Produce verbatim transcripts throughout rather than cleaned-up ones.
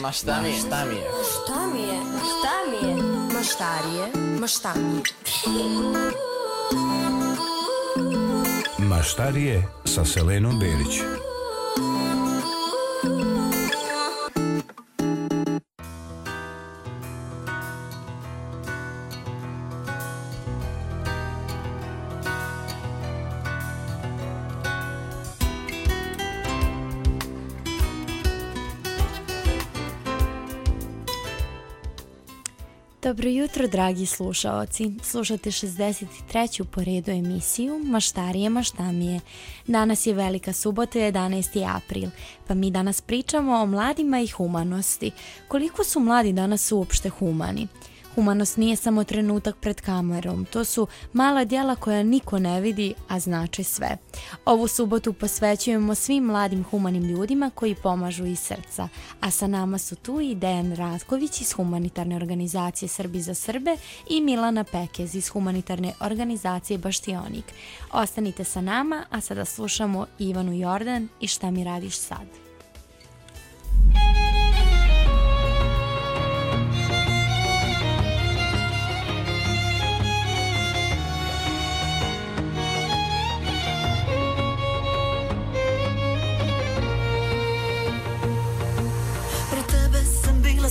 Ma šta mi je? Šta mi je? Šta mi je? Šta mi je? Maštarije, maštanje. Maštarije sa Selenom Berić. Dobro jutro, dragi slušaoci. Slušate šezdeset treću po redu emisiju Maštarije maštamije. Danas je velika subota, jedanaesti april, pa mi danas pričamo o mladima i humanosti. Koliko su mladi danas uopšte humani? Humanost nije samo trenutak pred kamerom, to su mala djela koja niko ne vidi, a znači sve. Ovu subotu posvećujemo svim mladim humanim ljudima koji pomažu iz srca, a sa nama su tu i Dejan Ratković iz humanitarne organizacije Srbi za Srbe i Milana Pekez iz humanitarne organizacije Baštionik. Ostanite sa nama, a sada slušamo Ivanu Jordan i Šta mi radiš sad?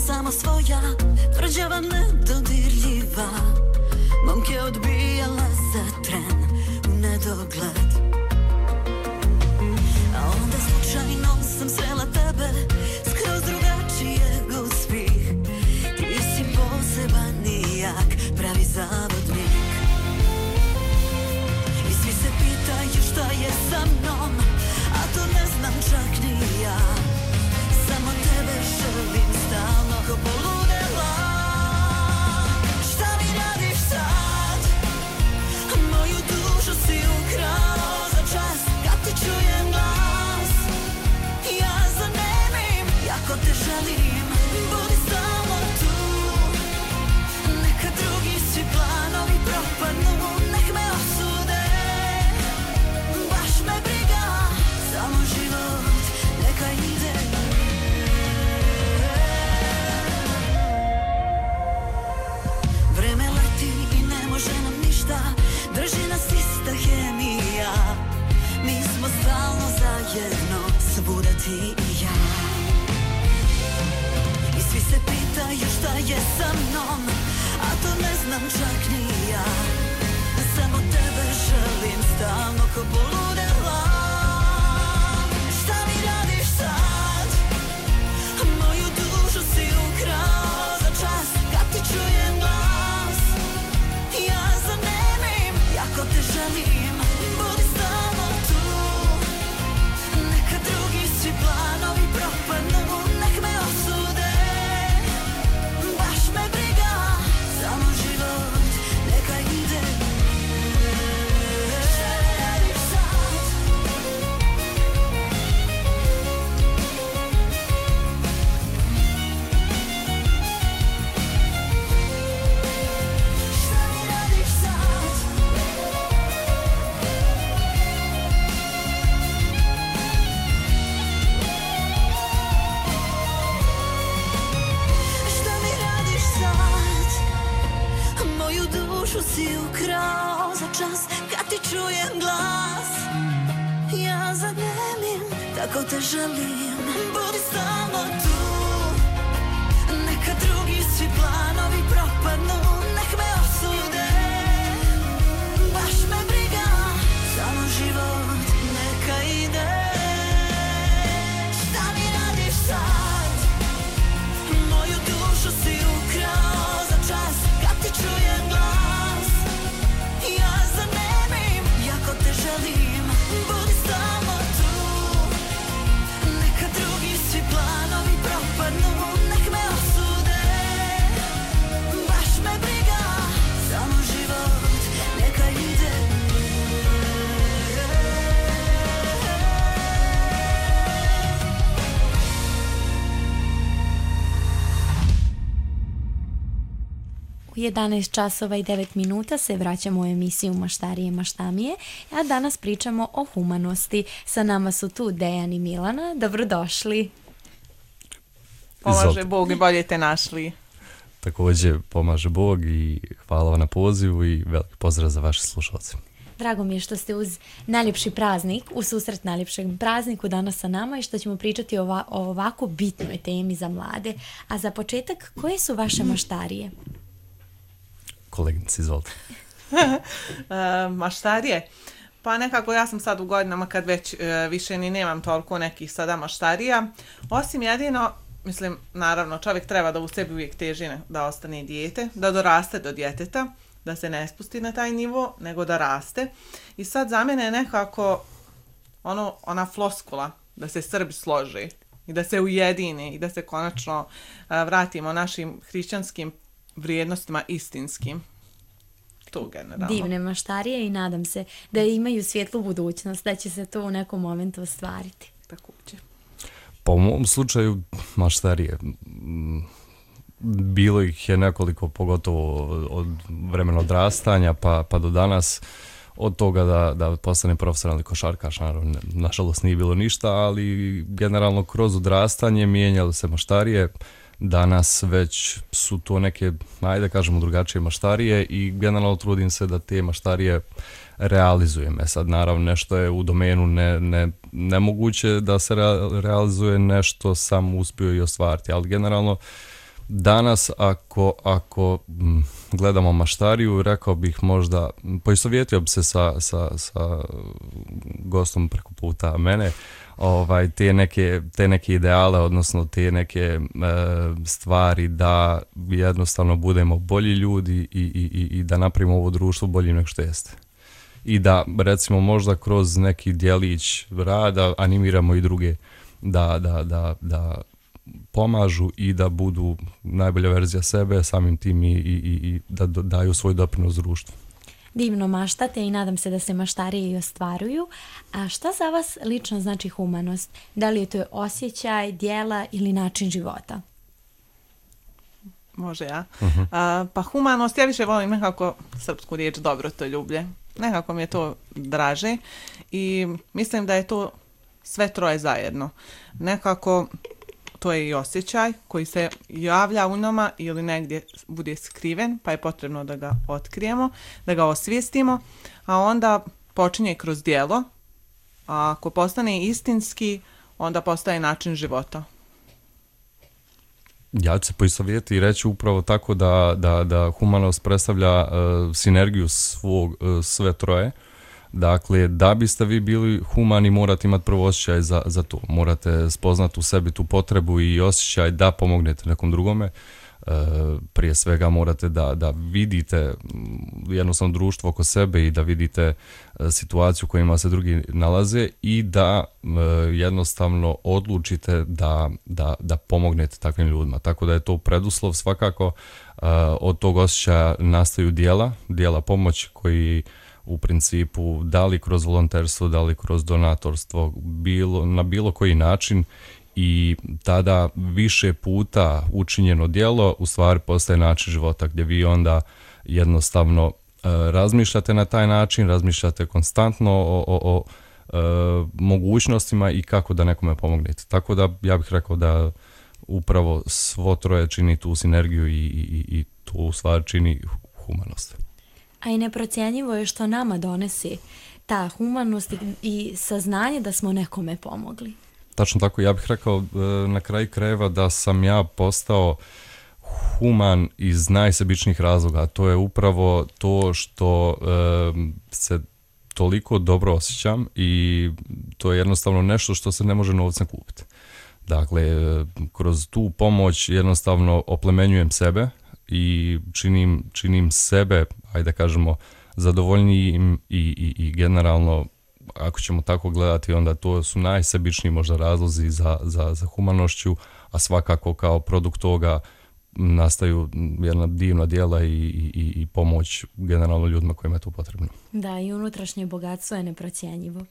Samo svoja, tvrđava nedodirljiva, momke odbijala za tren u nedogled. A onda slučajno sam srela tebe, skroz drugačijeg od svih. Ti si poseban i jak, pravi zavodnik. I svi se pitaju šta je sa mnom, a to ne znam čak ni ja. Samo tebe želim stalno ko poludela. Šta mi radiš sad? Moju dušu si ukrao za čas kad ti čujem glas. Ja zanemim, jako te želim, budi stalno tu. Neka drugi svi planovi propadnu, nek me osude. Baš me briga, samo život neka ide. Može nam ništa, drži nas ista hemija. Mi smo stalno zajedno, svuda ti i ja. I svi se pitaju šta je sa mnom, a to ne znam čak ni ja. Samo tebe želim stalno ko poludela. Šta mi radiš sad? Moju dušu si ukrao za čas kad ti čujem glas. Ja zanemim, jako te želim, budi stalno tu. Neka drugi svi planovi propadnu, nek me osude. Baš me briga, samo život neka ide. Šta mi radiš sad? Si ukrao za čas kad ti čujem glas. Ja zanemim, tako te želim, budi stalno tu. Neka drugi svi planovi propadnu, nek me osude. Baš me briga, samo život neka ide. Šta mi radiš sad? Moju dušu si ukrao za čas kad ti čujem glas. Ja zanemim, jako te želim, budi stalno tu. Neka drugi svi planovi propadnu, nek me osude. Baš me briga, samo život neka ide. U jedanaest časova i devet minuta se vraćamo u emisiju Maštarije maštamije, a danas pričamo o humanosti. Sa nama su tu Dejan i Milana. Dobrodošli. Pomaže Izvolite. Bog i bolje te našli. Također pomaže Bog i hvala vam na pozivu i veliki pozdrav za vaše slušalce. Drago mi je što ste uz najljepši praznik, u susret najljepšem prazniku danas sa nama i što ćemo pričati o, ova, o ovako bitnoj temi za mlade. A za početak, koje su vaše maštarije? Kolegnice, izvolite. E, maštarije? Pa nekako ja sam sad u godinama kad već e, više ni nemam toliko nekih sada maštarija. Osim jedino, mislim, naravno čovjek treba da u sebi uvijek teži da ostane dijete, da doraste do djeteta, da se ne spusti na taj nivo, nego da raste. I sad za mene je nekako ono, ona floskula da se Srbi složi i da se ujedini i da se konačno uh, vratimo našim hrišćanskim vrijednostima istinskim. To generalno. Divne maštarije i nadam se da imaju svjetlu budućnost, da će se to u nekom momentu ostvariti. Također. Pa u mom slučaju maštarije. Bilo ih je nekoliko, pogotovo od vremena odrastanja pa, pa do danas. Od toga da, da postane profesionalni košarkaš, naravno, nažalost nije bilo ništa, ali generalno kroz odrastanje mijenjali se maštarije. Danas već su to neke, ajde kažemo, drugačije maštarije i generalno trudim se da te maštarije realizujem. E sad, naravno, nešto je u domenu ne, ne, nemoguće da se re, realizuje, nešto sam uspio i ostvariti, ali generalno danas ako, ako gledamo maštariju, rekao bih možda, poistovjetio bi se sa, sa, sa gostom preko puta mene, ovaj, te, neke, te neke ideale, odnosno te neke e, stvari da jednostavno budemo bolji ljudi i, i, i da napravimo ovo društvo boljim nego što jeste. I da, recimo, možda kroz neki djelić rada animiramo i druge da, da, da, da pomažu i da budu najbolja verzija sebe, samim tim i, i, i da daju svoj doprinos društvu. Divno maštate i nadam se da se maštarije i ostvaruju. A šta za vas lično znači humanost? Da li je to osjećaj, djela ili način života? Može ja. Uh-huh. A, pa humanost, ja više volim nekako srpsku riječ dobrotoljublje. Nekako mi je to draže i mislim da je to sve troje zajedno. Nekako to je i osjećaj koji se javlja u nama ili negdje bude skriven, pa je potrebno da ga otkrijemo, da ga osvijestimo, a onda počinje kroz djelo, a ako postane istinski, onda postaje način života. Ja ću se poistovjetiti i reći upravo tako da, da, da humanost predstavlja uh, sinergiju svog, uh, sve troje. Dakle, da biste vi bili humani, morate imati prvo osjećaj za, za to. Morate spoznati u sebi tu potrebu i osjećaj da pomognete nekom drugome. E, prije svega morate da, da vidite jednostavno društvo oko sebe i da vidite e, situaciju u kojima se drugi nalaze i da e, jednostavno odlučite da, da, da pomognete takvim ljudima. Tako da je to preduslov svakako. E, od tog osjećaja nastaju djela, djela pomoći koji u principu da li kroz volonterstvo, da li kroz donatorstvo, bilo, na bilo koji način i tada više puta učinjeno djelo u stvari postaje način života gdje vi onda jednostavno e, razmišljate na taj način, razmišljate konstantno o, o, o e, mogućnostima i kako da nekome pomognete. Tako da ja bih rekao da upravo svo troje čini tu sinergiju i, i, i tu u stvari čini humanost. A i neprocjenjivo je što nama donesi ta humanost i, i saznanje da smo nekome pomogli. Tačno tako, ja bih rekao na kraju krajeva da sam ja postao human iz najsebičnijih razloga, a to je upravo to što e, se toliko dobro osjećam i to je jednostavno nešto što se ne može novcem kupiti. Dakle, kroz tu pomoć jednostavno oplemenjujem sebe i činim, činim sebe, ajde da kažemo, zadovoljnijim i, i, i generalno, ako ćemo tako gledati, onda to su najsebičniji možda razlozi za, za, za humanošću, a svakako kao produkt toga nastaju jedna divna djela i, i, i pomoć generalno ljudima kojima je to potrebno. Da, i unutrašnje bogatstvo je neprocjenjivo.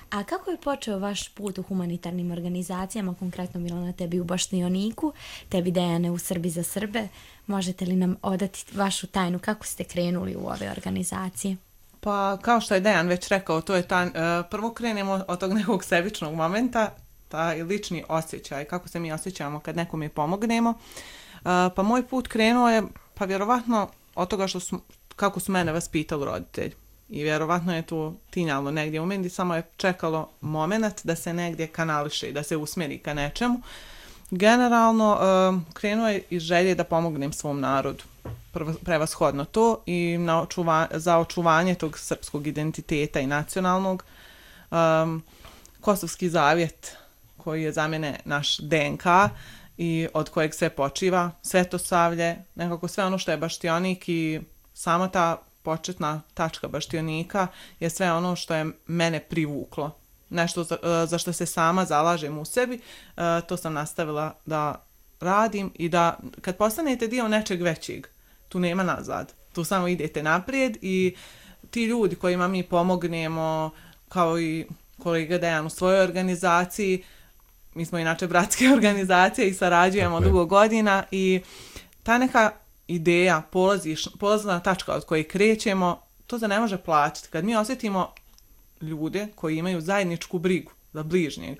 A kako je počeo vaš put u humanitarnim organizacijama, konkretno Milana, tebi u Baštioniku, tebi Dejane u Srbi za Srbe? Možete li nam odati vašu tajnu kako ste krenuli u ove organizacije? Pa kao što je Dejan već rekao, to je ta, uh, prvo krenemo od tog nekog sebičnog momenta taj lični osjećaj, kako se mi osjećamo kad nekome pomognemo. Uh, pa moj put krenuo je, pa vjerovatno od toga što su, kako su mene vaspitali roditelji. I vjerovatno je to tinjalo negdje u meni, samo je čekalo moment da se negdje kanališe i da se usmjeri ka nečemu. Generalno, uh, krenuo je iz želje da pomognem svom narodu. Prvo, prevashodno to i na očuva, za očuvanje tog srpskog identiteta i nacionalnog. Um, Kosovski zavjet, koji je za mene naš D N K i od kojeg sve počiva, Svetosavlje, nekako sve ono što je baštionik i sama ta početna tačka baštionika je sve ono što je mene privuklo. Nešto za, za što se sama zalažem u sebi, to sam nastavila da radim i da kad postanete dio nečeg većeg, tu nema nazad. Tu samo idete naprijed i ti ljudi kojima mi pomognemo, kao i kolega Dejan u svojoj organizaciji, mi smo inače bratske organizacije i sarađujemo Tako je. dugo godina i ta neka ideja, polaziš, polazna tačka od koje krećemo, to se ne može plaćati. Kad mi osjetimo ljude koji imaju zajedničku brigu za bližnjeg,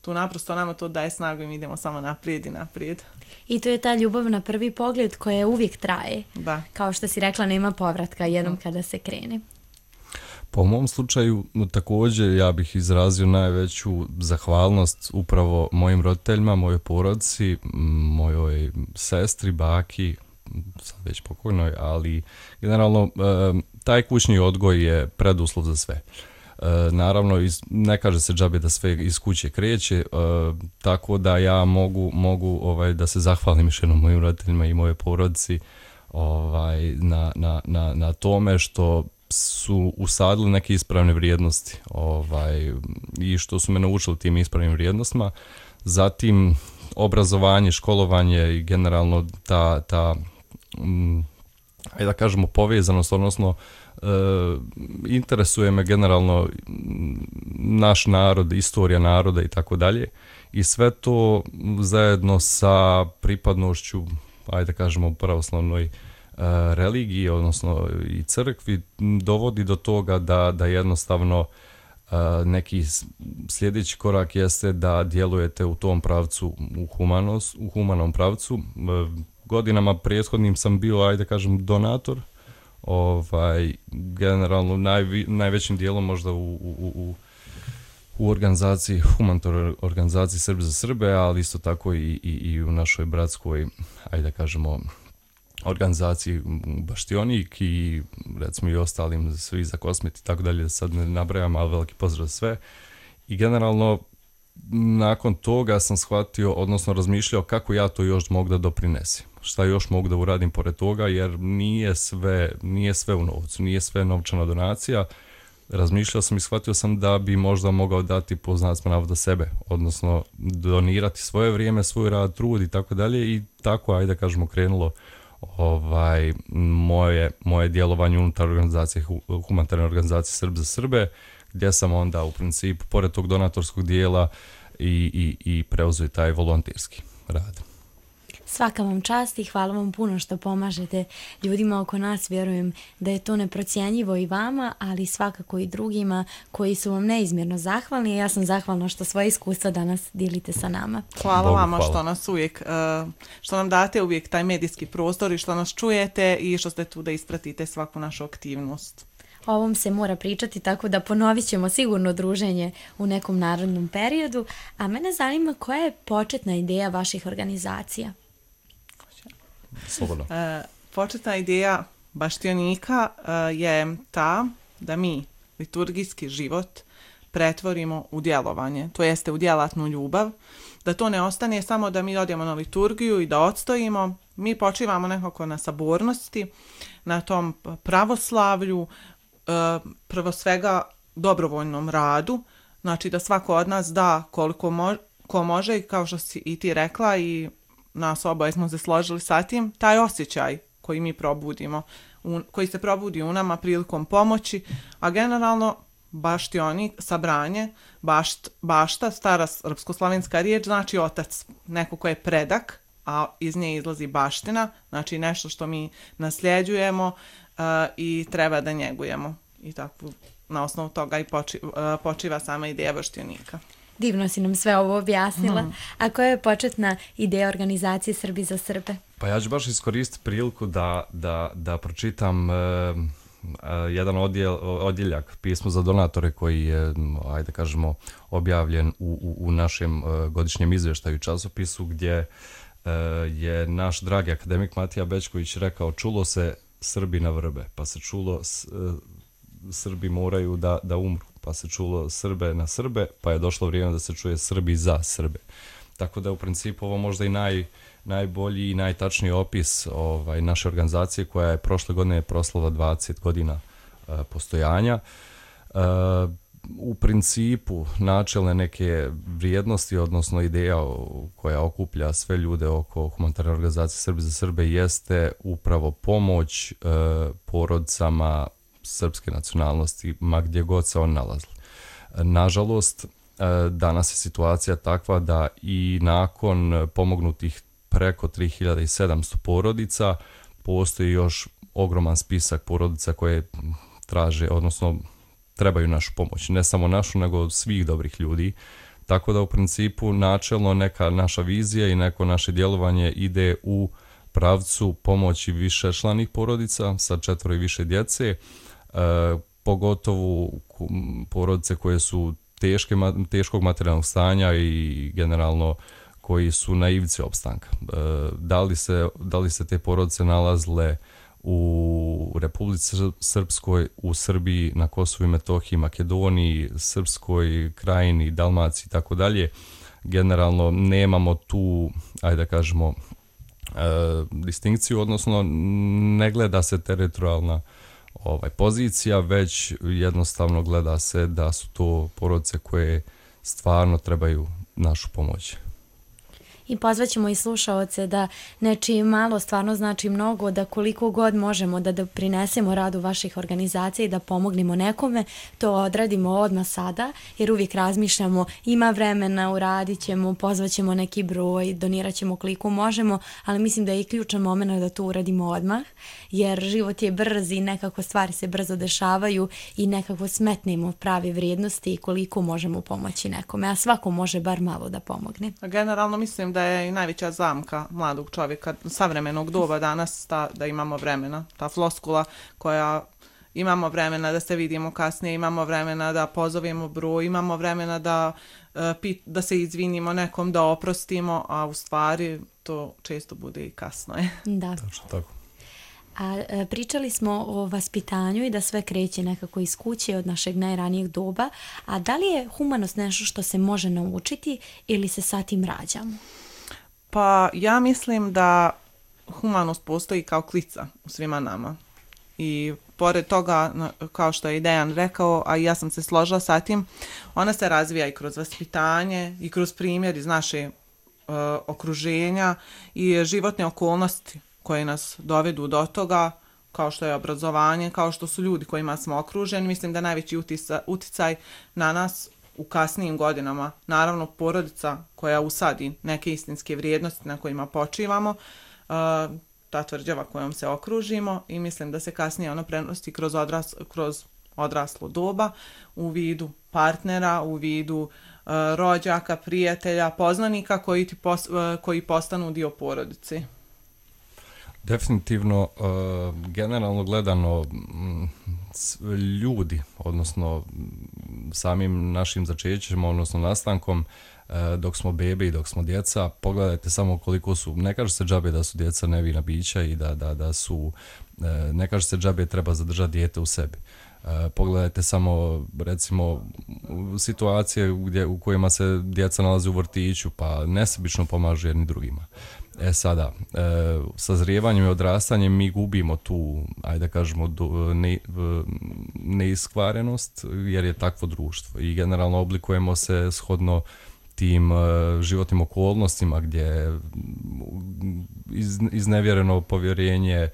tu naprosto nama to daje snagu i mi idemo samo naprijed i naprijed. I to je ta ljubav na prvi pogled koja uvijek traje. Da. Kao što si rekla, nema povratka jednom kada se krene. Po mom slučaju također ja bih izrazio najveću zahvalnost upravo mojim roditeljima, mojoj porodici, mojoj sestri, baki, sad već pokojnoj, ali generalno taj kućni odgoj je preduslov za sve. Naravno, iz, ne kaže se džabe da sve iz kuće kreće, tako da ja mogu, mogu ovaj, da se zahvalim još jednom mojim roditeljima i moje porodici ovaj, na, na, na, na tome što su usadili neke ispravne vrijednosti ovaj, i što su me naučili tim ispravnim vrijednostima. Zatim obrazovanje, školovanje i generalno ta, ta mm, ajde da kažemo povezanost, odnosno e, interesuje me generalno naš narod, istorija naroda i tako dalje. I sve to zajedno sa pripadnošću, ajde da kažemo pravoslavnoj religiji, odnosno i crkvi, dovodi do toga da, da jednostavno neki sljedeći korak jeste da djelujete u tom pravcu, u, humanost, u humanom pravcu. Godinama prethodnim sam bio, ajde kažem, donator, ovaj, generalno najvi, najvećim dijelom možda u, u, u, u organizaciji, humanitarnoj organizaciji Srbi za Srbe, ali isto tako i, i, i u našoj bratskoj, ajde da kažemo, organizaciji Baštionik i recimo i ostalim svi za Kosmet i tako dalje, da sad ne nabrajam, ali veliki pozdrav sve. I generalno nakon toga sam shvatio, odnosno razmišljao kako ja to još mogu da doprinesim. Šta još mogu da uradim pored toga, jer nije sve, nije sve u novcu, nije sve novčana donacija. Razmišljao sam i shvatio sam da bi možda mogao dati po znacima navoda sebe, odnosno donirati svoje vrijeme, svoj rad, trud i tako dalje i tako, ajde da kažemo, krenulo ovaj, moje, moje djelovanje unutar organizacije, humanitarne organizacije Srbi za Srbe, gdje sam onda u principu, pored tog donatorskog dijela, i, i, i preuzeo taj volonterski rad. Svaka vam čast i hvala vam puno što pomažete ljudima oko nas. Vjerujem da je to neprocjenjivo i vama, ali svakako i drugima koji su vam neizmjerno zahvalni. Ja sam zahvalna što svoje iskustva danas dijelite sa nama. Hvala Bogu, vama hvala. što nas uvijek, uh, što nam date uvijek taj medijski prostor i što nas čujete i što ste tu da ispratite svaku našu aktivnost. O ovom se mora pričati, tako da ponovit ćemo sigurno druženje u nekom narodnom periodu. A mene zanima koja je početna ideja vaših organizacija? Slobodno. E, početna ideja Baštionika e, je ta da mi liturgijski život pretvorimo u djelovanje, to jeste u djelatnu ljubav, da to ne ostane samo da mi odemo na liturgiju i da odstojimo, mi počivamo nekako na sabornosti, na tom pravoslavlju, e, prvo svega dobrovoljnom radu, znači da svako od nas da koliko mo- ko može i kao što si i ti rekla i nas oboje smo se složili sa tim, taj osjećaj koji mi probudimo, un, koji se probudi u nama prilikom pomoći, a generalno baštionik, sabranje, bašt, bašta, stara srpsko-slavenska riječ, znači otac, neko ko je predak, a iz nje izlazi baština, znači nešto što mi nasljeđujemo uh, i treba da njegujemo. I tako na osnovu toga i poči, uh, počiva sama ideja baštionika. Divno si nam sve ovo objasnila. Mhm. A koja je početna ideja organizacije Srbi za Srbe? Pa ja ću baš iskoristiti priliku da, da, da pročitam e, e, jedan odjel, odjeljak pismo za donatore koji je, ajde kažemo, objavljen u, u, u našem e, godišnjem izvještaju časopisu gdje e, je naš dragi akademik Matija Bećković rekao: čulo se Srbi na vrbe, pa se čulo s, e, Srbi moraju da, da umru, pa se čulo Srbe na Srbe, pa je došlo vrijeme da se čuje Srbi za Srbe. Tako da je u principu ovo možda i naj, najbolji i najtačniji opis ovaj, naše organizacije koja je prošle godine proslava dvadeset godina e, postojanja. E, u principu načelne neke vrijednosti, odnosno ideja koja okuplja sve ljude oko humanitarne organizacije Srbi za Srbe jeste upravo pomoć e, porodicama srpske nacionalnosti, ma gdje god se on nalazili. Nažalost, danas je situacija takva da i nakon pomognutih preko tri hiljade sedamsto porodica postoji još ogroman spisak porodica koje traže, odnosno trebaju našu pomoć. Ne samo našu, nego svih dobrih ljudi. Tako da u principu načelno neka naša vizija i neko naše djelovanje ide u pravcu pomoći višečlanih porodica sa četvoro i više djece, e, pogotovo porodice koje su teške, teškog materijalnog stanja i generalno koji su na ivici opstanka. E, da li se, da li se te porodice nalazile u Republici Srpskoj, u Srbiji, na Kosovu i Metohiji, Makedoniji, Srpskoj krajini, Dalmaciji i tako dalje, generalno nemamo tu, ajde da kažemo, e, distinkciju, odnosno ne gleda se teritorijalna ovaj, pozicija, već jednostavno gleda se da su to porodice koje stvarno trebaju našu pomoć. I pozvaćemo i slušaoce da nečiji malo stvarno znači mnogo, da koliko god možemo da doprinesemo radu vaših organizacija i da pomognemo nekome, to odradimo odmah sada, jer uvijek razmišljamo, ima vremena, uradit ćemo, pozvaćemo neki broj, donirat ćemo koliko možemo, ali mislim da je i ključan moment da to uradimo odmah, jer život je brz i nekako stvari se brzo dešavaju i nekako smetnemo prave vrijednosti i koliko možemo pomoći nekome, a svako može bar malo da pomogne. Generalno mislim da je i najveća zamka mladog čovjeka savremenog doba danas ta, da imamo vremena. Ta floskula koja imamo vremena da se vidimo kasnije, imamo vremena da pozovemo broj, imamo vremena da, da se izvinimo nekom, da oprostimo, a u stvari to često bude i kasno. Je. Da. Tačno tako. A pričali smo o vaspitanju i da sve kreće nekako iz kuće od našeg najranijeg doba, a da li je humanost nešto što se može naučiti ili se sa tim rađamo? Pa ja mislim da humanost postoji kao klica u svima nama. I pored toga, kao što je i Dejan rekao, a ja sam se složila sa tim, ona se razvija i kroz vaspitanje i kroz primjer iz naše uh, okruženja i životne okolnosti koje nas dovedu do toga, kao što je obrazovanje, kao što su ljudi kojima smo okruženi. Mislim da najveći utica, uticaj na nas u kasnijim godinama, naravno porodica koja usadi neke istinske vrijednosti na kojima počivamo, uh, ta tvrđava kojom se okružimo, i mislim da se kasnije ono prenosi kroz, odras, kroz odraslo doba u vidu partnera, u vidu uh, rođaka, prijatelja, poznanika koji, ti pos, uh, koji postanu dio porodice. Definitivno, uh, generalno gledano, m, ljudi, odnosno samim našim začećem, odnosno nastankom, uh, dok smo bebe i dok smo djeca, pogledajte samo koliko su, ne kaže se džabe da su djeca nevina bića i da, da, da su, uh, ne kaže se džabe treba zadržati dijete u sebi. Uh, pogledajte samo, recimo, situacije gdje, u kojima se djeca nalaze u vrtiću, pa nesebično pomažu jedni drugima. E sada, e, sazrijevanjem i odrastanjem mi gubimo tu, ajde da kažemo, do, ne, neiskvarenost, jer je takvo društvo i generalno oblikujemo se shodno tim e, životnim okolnostima gdje iz, iznevjereno povjerenje, e,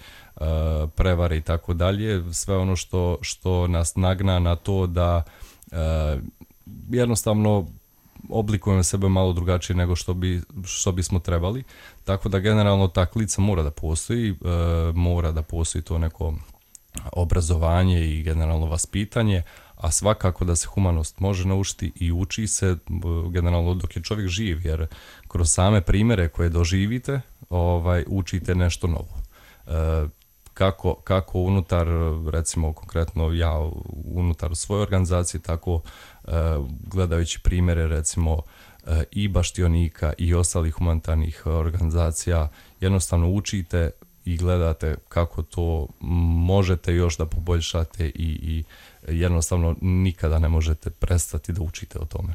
prevare i tako dalje, sve ono što, što nas nagna na to da e, jednostavno oblikujemo sebe malo drugačije nego što bi što bismo trebali, tako da generalno ta klica mora da postoji, e, mora da postoji to neko obrazovanje i generalno vaspitanje, a svakako da se humanost može naučiti i uči se generalno dok je čovjek živ, jer kroz same primjere koje doživite ovaj, učite nešto novo. E, kako, kako unutar, recimo konkretno ja unutar svoje organizacije, tako e, gledajući primjere recimo e, i baštionika i ostalih humanitarnih organizacija, jednostavno učite i gledate kako to možete još da poboljšate i, i jednostavno nikada ne možete prestati da učite o tome.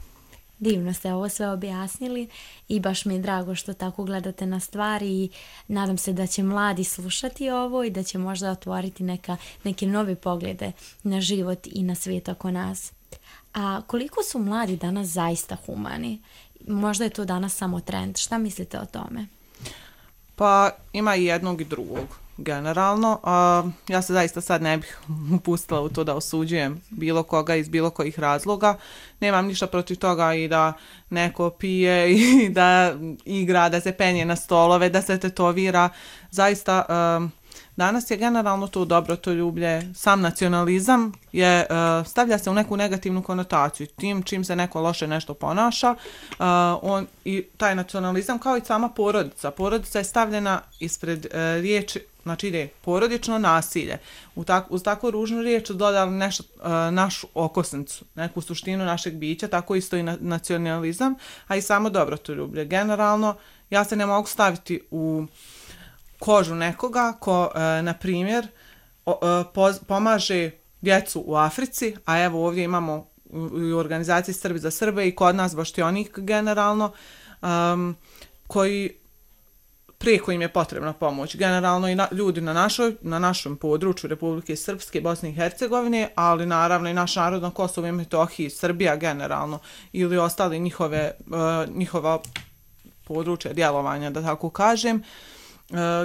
Divno ste ovo sve objasnili i baš mi je drago što tako gledate na stvari i nadam se da će mladi slušati ovo i da će možda otvoriti neka, neke nove poglede na život i na svijet oko nas. A koliko su mladi danas zaista humani? Možda je to danas samo trend. Šta mislite o tome? Pa ima i jednog i drugog generalno. A, ja se zaista sad ne bih upustila u to da osuđujem bilo koga iz bilo kojih razloga. Nemam ništa protiv toga i da neko pije i da igra, da se penje na stolove, da se tetovira. Zaista a, danas je generalno to dobrotoljublje, sam nacionalizam je, uh, stavlja se u neku negativnu konotaciju. Tim čim se neko loše nešto ponaša, uh, on, i taj nacionalizam kao i sama porodica. Porodica je stavljena ispred uh, riječi, znači ide porodično nasilje. U tak, uz takvu ružnu riječ dodali nešto, uh, našu okosnicu, neku suštinu našeg bića, tako isto i na, nacionalizam, a i samo dobrotoljublje. Generalno, ja se ne mogu staviti u kožu nekoga ko, e, na primjer, o, e, poz, pomaže djecu u Africi, a evo ovdje imamo u, u organizaciji Srbi za Srbe i kod nas baštionik generalno, um, koji prijeko im je potrebna pomoć. Generalno i na, ljudi na, našoj, na našem području Republike Srpske, Bosne i Hercegovine, ali naravno i naš narod na Kosovu i Metohiji, Srbija generalno, ili ostali njihove, e, njihova područja djelovanja, da tako kažem. Uh,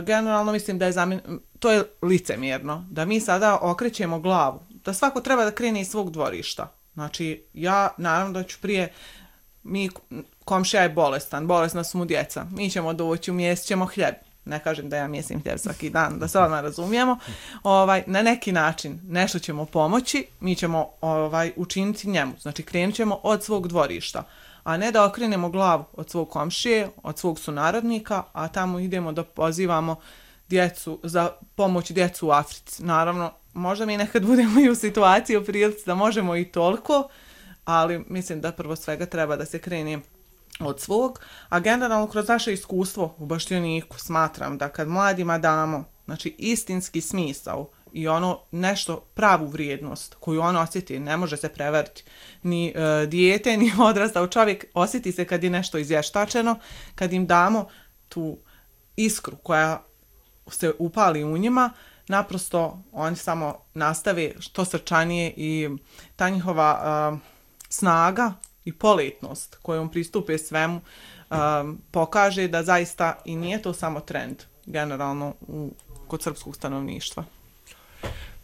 generalno mislim da je zamjen... to je licemjerno, da mi sada okrećemo glavu, da svako treba da krene iz svog dvorišta. Znači, ja naravno da ću prije, mi, komšija je bolestan, bolesna su mu djeca, mi ćemo doći, umjesit ćemo hljeb. Ne kažem da ja mjesim hljeb svaki dan, da se odmah razumijemo. Ovaj, na neki način nešto ćemo pomoći, mi ćemo ovaj, učiniti njemu. Znači, krenut ćemo od svog dvorišta, a ne da okrenemo glavu od svog komšije, od svog sunarodnika, a tamo idemo da pozivamo djecu, za pomoć djecu u Africi. Naravno, možda mi nekad budemo i u situaciji, u prilici da možemo i toliko, ali mislim da prvo svega treba da se krene od svog, a generalno kroz naše iskustvo u baštioniku smatram da kad mladima damo, znači istinski smisao i ono nešto, pravu vrijednost koju on osjeti, ne može se prevariti ni e, dijete, ni odrastao čovjek, osjeti se kad je nešto izvještačeno, kad im damo tu iskru koja se upali u njima, naprosto oni samo nastave što srčanije i ta njihova e, snaga i poletnost kojom pristupe svemu e, pokaže da zaista i nije to samo trend generalno u, kod srpskog stanovništva.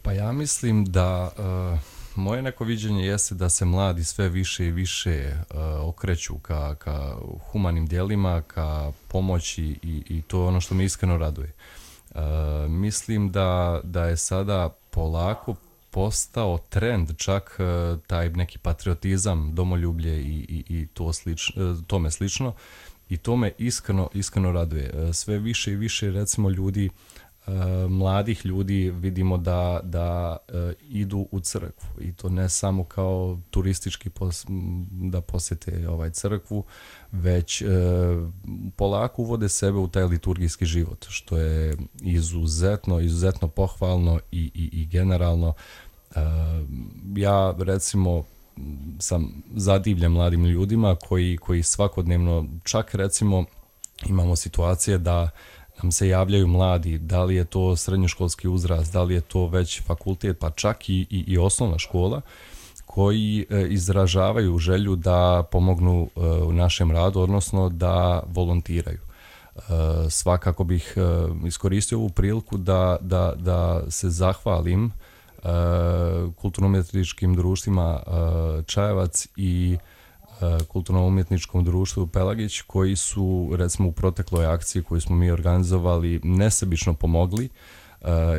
Pa ja mislim da uh, moje neko viđenje jeste da se mladi sve više i više uh, okreću ka, ka humanim djelima, ka pomoći i, i to je ono što me iskreno raduje. Uh, mislim da, da je sada polako postao trend čak uh, taj neki patriotizam, domoljublje i, i, i to slič, uh, tome slično i to me iskreno, iskreno raduje. Uh, sve više i više recimo ljudi Uh, mladih ljudi vidimo da, da uh, idu u crkvu i to ne samo kao turistički pos, da posjete ovaj crkvu, već uh, polako uvode sebe u taj liturgijski život, što je izuzetno, izuzetno pohvalno i, i, i generalno. Uh, ja recimo sam zadivljen mladim ljudima koji, koji svakodnevno, čak recimo imamo situacije da nam se javljaju mladi, da li je to srednjoškolski uzrast, da li je to već fakultet, pa čak i, i, i osnovna škola, koji e, izražavaju želju da pomognu e, u našem radu, odnosno da volontiraju. E, svakako bih e, iskoristio ovu priliku da, da, da se zahvalim e, kulturno-umjetničkim društvima e, Čajevac i kulturno-umjetničkom društvu Pelagić, koji su recimo u protekloj akciji koju smo mi organizovali nesebično pomogli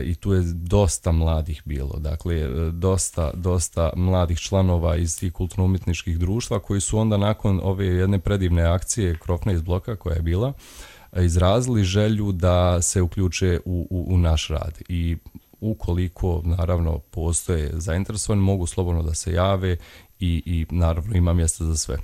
i tu je dosta mladih bilo, dakle dosta, dosta mladih članova iz tih kulturno-umjetničkih društva koji su onda nakon ove jedne predivne akcije Krofna iz bloka koja je bila, izrazili želju da se uključe u, u, u naš rad i ukoliko naravno postoje zainteresovani mogu slobodno da se jave i, i naravno ima mjesta za sve.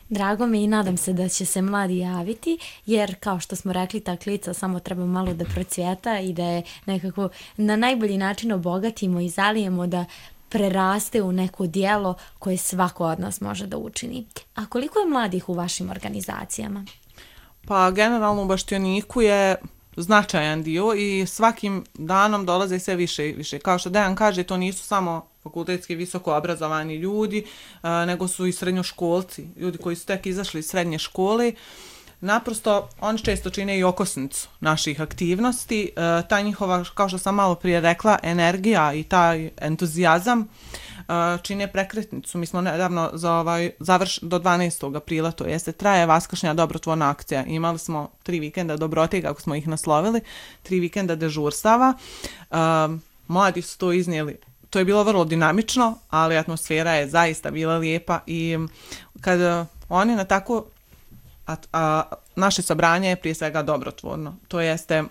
Drago mi i nadam se da će se mladi javiti, jer kao što smo rekli, ta klica samo treba malo da procvjeta i da je nekako na najbolji način obogatimo i zalijemo da preraste u neko djelo koje svako od nas može da učini. A koliko je mladih u vašim organizacijama? Pa generalno u Baštioniku je značajan dio i svakim danom dolaze sve više i više. Kao što Dejan kaže, to nisu samo fakultetski visoko obrazovani ljudi, nego su i srednjoškolci, ljudi koji su tek izašli iz srednje škole. Naprosto, oni često čine i okosnicu naših aktivnosti. Ta njihova, kao što sam malo prije rekla, energija i taj entuzijazam čine prekretnicu. Mi smo nedavno za ovaj, završ, do dvanaestog aprila, to jeste, traje Vaskršnja dobrotvorna akcija. Imali smo tri vikenda dobrote, kako smo ih naslovili, tri vikenda dežurstava. Mladi su to iznijeli. To je bilo vrlo dinamično, ali atmosfera je zaista bila lijepa i kad oni na tako a, a, naše sabranje je prije svega dobrotvorno. To jeste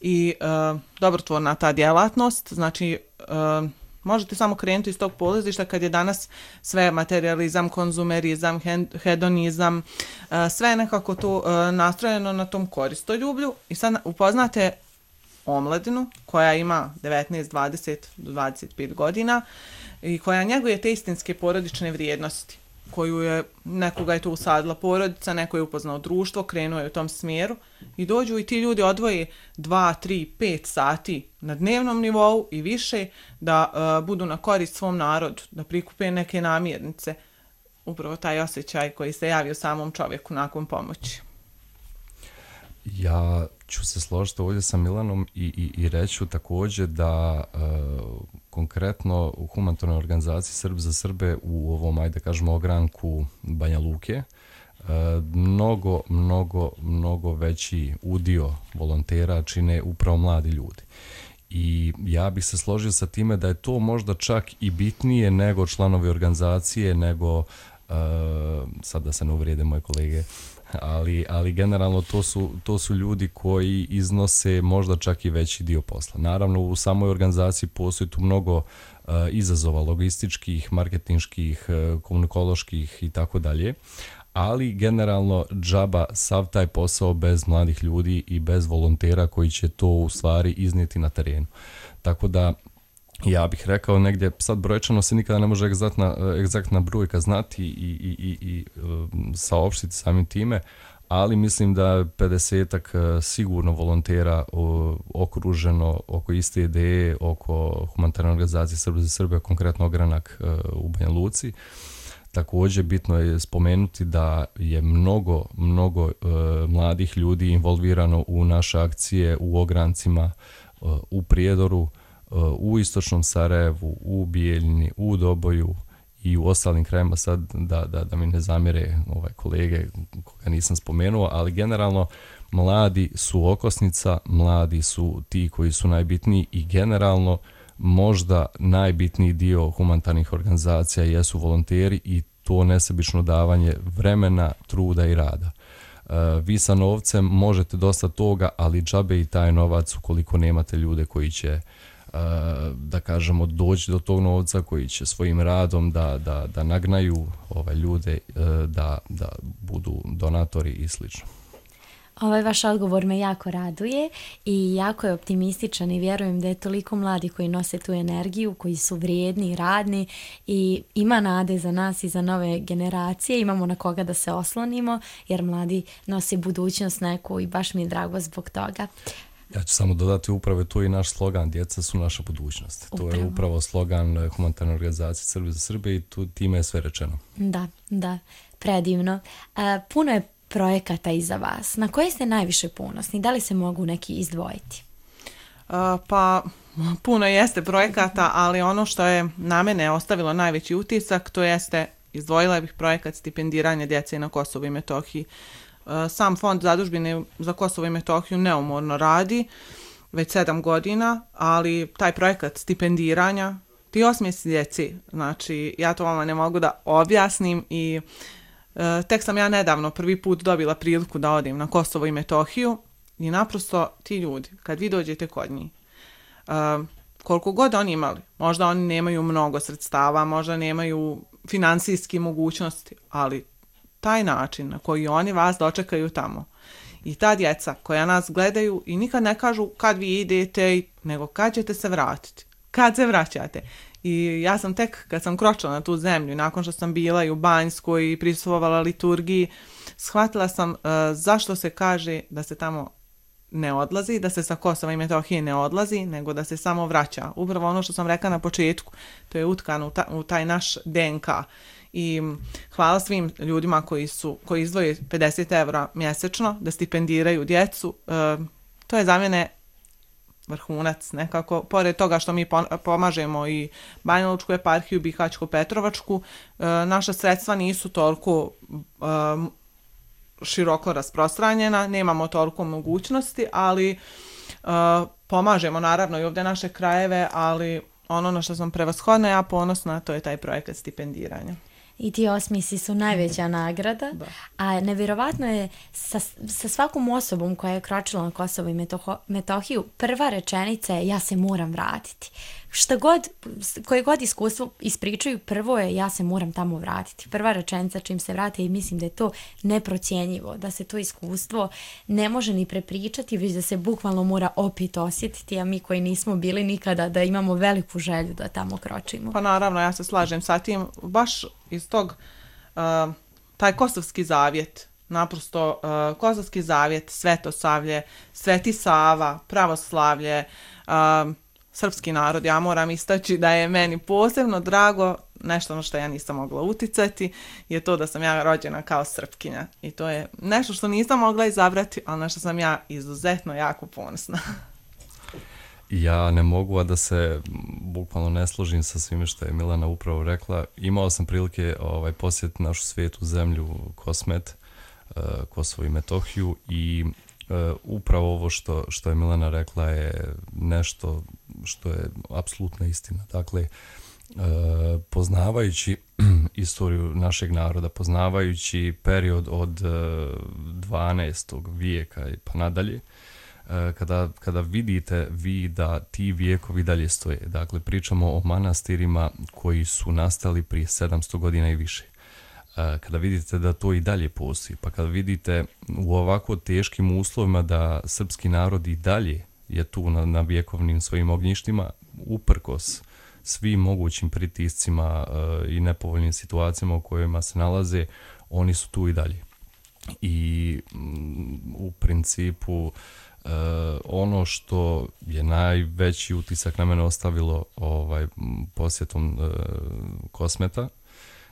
i uh, dobrotvorna ta djelatnost, znači uh, možete samo krenuti iz tog polazišta kad je danas sve materializam, konzumerizam, hedonizam, uh, sve je nekako to uh, nastrojeno na tom koristoljublju i sad upoznate omladinu koja ima devetnaest, dvadeset do dvadeset pet godina i koja njeguje te istinske porodične vrijednosti koju je, nekoga je tu usadila porodica, neko je upoznao društvo, krenuo je u tom smjeru i dođu i ti ljudi odvoje dva, tri, pet sati na dnevnom nivou i više da uh, budu na korist svom narodu, da prikupe neke namirnice. Upravo taj osjećaj koji se javi u samom čovjeku nakon pomoći. Ja ću se složiti ovdje sa Milanom i, i, i reću također da e, konkretno u humanitarnoj organizaciji Srb za Srbe u ovom, ajde kažemo, ogranku Banja Luke e, mnogo, mnogo, mnogo veći udio volontera čine upravo mladi ljudi. I ja bih se složio sa time da je to možda čak i bitnije nego članovi organizacije, nego, e, sad da se ne uvrijede moje kolege, Ali, ali generalno to su, to su ljudi koji iznose možda čak i veći dio posla. Naravno u samoj organizaciji postoji tu mnogo uh, izazova logističkih, marketinških, uh, komunikoloških i tako dalje, ali generalno džaba sav taj posao bez mladih ljudi i bez volontera koji će to u stvari iznijeti na terenu. Tako da ja bih rekao negdje, sad brojčano se nikada ne može egzaktna, egzaktna brojka znati i, i, i, i saopštiti samim time, ali mislim da pedesetak sigurno volontera okruženo oko iste ideje, oko humanitarne organizacije Srbi za Srbe, konkretno ogranak u Banja Luci. Također bitno je spomenuti da je mnogo, mnogo uh, mladih ljudi involvirano u naše akcije u ograncima uh, u Prijedoru, u istočnom Sarajevu, u Bijeljini, u Doboju i u ostalim krajima, sad da, da, da mi ne zamjere ovaj kolege koga nisam spomenuo, ali generalno mladi su okosnica, mladi su ti koji su najbitniji i generalno možda najbitniji dio humanitarnih organizacija jesu volonteri i to nesebično davanje vremena, truda i rada. Uh, vi sa novcem možete dosta toga, ali džabe i taj novac ukoliko nemate ljude koji će da kažemo doći do tog novca, koji će svojim radom da, da, da nagnaju ove ljude da, da budu donatori i slično. Ovaj vaš odgovor me jako raduje i jako je optimističan i vjerujem da je toliko mladi koji nose tu energiju, koji su vrijedni, radni i ima nade za nas i za nove generacije, imamo na koga da se oslonimo jer mladi nose budućnost neku i baš mi je drago zbog toga. Ja ću samo dodati, upravo to i naš slogan, djeca su naša budućnost. Upravo. To je upravo slogan humanitarne organizacije Srbi za Srbe i tu time je sve rečeno. Da, da, predivno. Uh, puno je projekata iza vas. Na koje ste najviše ponosni? Da li se mogu neki izdvojiti? Uh, pa, puno jeste projekata, ali ono što je na mene ostavilo najveći utisak, to jeste, izdvojila bih projekat stipendiranja djece na Kosovu i Metohiji. Sam fond zadužbine za Kosovo i Metohiju neumorno radi već sedam godina, ali taj projekat stipendiranja, ti osmijesi djeci, znači ja to vama ne mogu da objasnim i e, tek sam ja nedavno prvi put dobila priliku da odim na Kosovo i Metohiju i naprosto ti ljudi, kad vi dođete kod njih, e, koliko god oni imali, možda oni nemaju mnogo sredstava, možda nemaju financijske mogućnosti, ali taj način na koji oni vas dočekaju tamo i ta djeca koja nas gledaju i nikad ne kažu kad vi idete, nego kad ćete se vratiti, kad se vraćate. I ja sam tek kad sam kročila na tu zemlju, nakon što sam bila i u Banjskoj i prisustvovala liturgiji, shvatila sam uh, zašto se kaže da se tamo ne odlazi, da se sa Kosova i Metohije ne odlazi, nego da se samo vraća. Upravo ono što sam rekla na početku, to je utkano u, ta, u taj naš D N K. I hvala svim ljudima koji su koji izdvoje pedeset evra mjesečno da stipendiraju djecu. E, to je za mene vrhunac nekako. Pored toga što mi pomažemo i Banja Lučku eparhiju, Bihaćko-Petrovačku, e, naša sredstva nisu toliko e, široko rasprostranjena, nemamo toliko mogućnosti, ali uh, pomažemo naravno i ovdje naše krajeve, ali ono na što sam prevashodna ja ponosna, to je taj projekat stipendiranja. I ti osmisi su najveća nagrada, Da. a nevjerovatno je sa, sa svakom osobom koja je kročila na Kosovo i Metoho, Metohiju, prva rečenica je ja se moram vratiti. Šta god, koje god iskustvo ispričaju, prvo je ja se moram tamo vratiti. Prva rečenica čim se vrate i mislim da je to neprocjenjivo, da se to iskustvo ne može ni prepričati, već da se bukvalno mora opet osjetiti, a mi koji nismo bili nikada da imamo veliku želju da tamo kročimo. Pa naravno, ja se slažem sa tim, baš iz tog, uh, taj Kosovski zavjet, naprosto uh, Kosovski zavjet, Svetosavlje, Sveti Sava, pravoslavlje, uh, srpski narod, ja moram istaći da je meni posebno drago, nešto na što ja nisam mogla uticati, je to da sam ja rođena kao Srpkinja. I to je nešto što nisam mogla izabrati, ali na što sam ja izuzetno jako ponosna. Ja ne mogu a da se bukvalno ne složim sa svime što je Milana upravo rekla. Imao sam prilike ovaj, posjetiti našu svetu zemlju Kosmet, uh, Kosovo i Metohiju i uh, upravo ovo što, što je Milana rekla je nešto što je apsolutna istina. Dakle, uh, poznavajući istoriju našeg naroda, poznavajući period od uh, dvanaestog vijeka i pa nadalje, Kada, kada vidite vi da ti vijekovi dalje stoje. Dakle, pričamo o manastirima koji su nastali prije sedamsto godina i više. Kada vidite da to i dalje postoji, pa kada vidite u ovako teškim uslovima da srpski narod i dalje je tu na, na vjekovnim svojim ognjištima, uprkos svim mogućim pritiscima uh, i nepovoljnim situacijama u kojima se nalaze, oni su tu i dalje. I um, u principu Uh, ono što je najveći utisak na mene ostavilo ovaj, posjetom uh, Kosmeta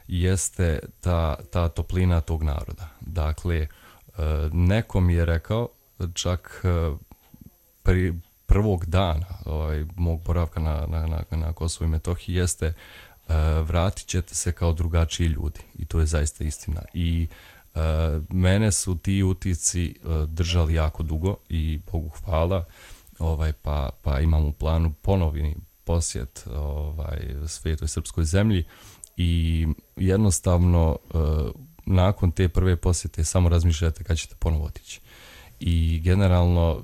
jeste ta, ta toplina tog naroda. Dakle, uh, neko mi je rekao, čak uh, pri prvog dana ovaj, mog boravka na, na, na, na Kosovu i Metohiji jeste uh, vratit ćete se kao drugačiji ljudi. I to je zaista istina. I Uh, mene su ti utisci uh, držali jako dugo i Bogu hvala, ovaj, pa, pa imam u planu ponovni posjet ovaj, svetoj srpskoj zemlji i jednostavno uh, nakon te prve posjete samo razmišljate kad ćete ponovo otići. I generalno uh,